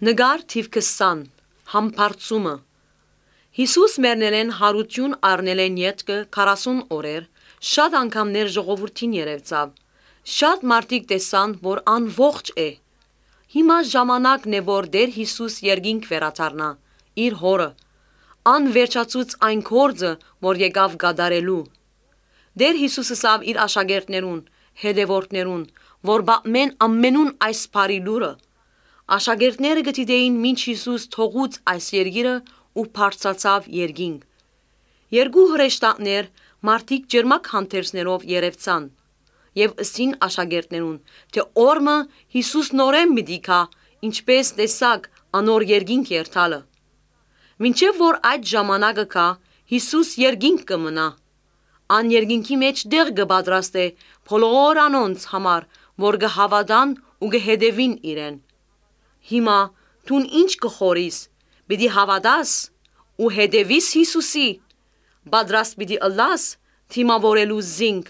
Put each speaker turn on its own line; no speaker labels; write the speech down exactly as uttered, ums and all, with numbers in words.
Նկար թիվ քսան Համբարձումը Հիսուս մեռնելեն հարություն առնելեն ետքը քառասուն օրեր, շատ անգամներ ժողովրդին երևցավ, շատ մարդիկ տեսան, որ անողջ է։ Հիմա ժամանակն է, որ Տեր Հիսուս երկինք վերադառնա իր հորը, անվերջացուց այն գործը, որ եկավ կատարելու։ Տեր Հիսուսը ասավ իր աշակերտներուն, հետևորդներուն, որ բամեն ամենուն այս բարի լուրը։ Աշակերտները գտիդեին մինչ Հիսուս թողուց այս երկիրը ու բարձրացավ երկինք։ Երկու հրեշտակներ մարդիկ ջերմակ հանդերձներով երևցան եւ ըստին աշակերտներուն, թե օրը Հիսուս նորեն մի դիքա, ինչպես տեսակ անոր երկինք երթալը։ Մինչև որ այդ ժամանակը կա, Հիսուս երկինք կմնա։ Ան երկինքի մեջ դեղ կպատրաստե բոլոր անոնց համար, որ կհավատան ու կհետևին իրեն։ Հիմա դուն ինչ կխորիս, պիտի հավատաս ու հետևիս Հիսուսի, պատրաստ պիտի ըլլաս թիմավորելու զինք։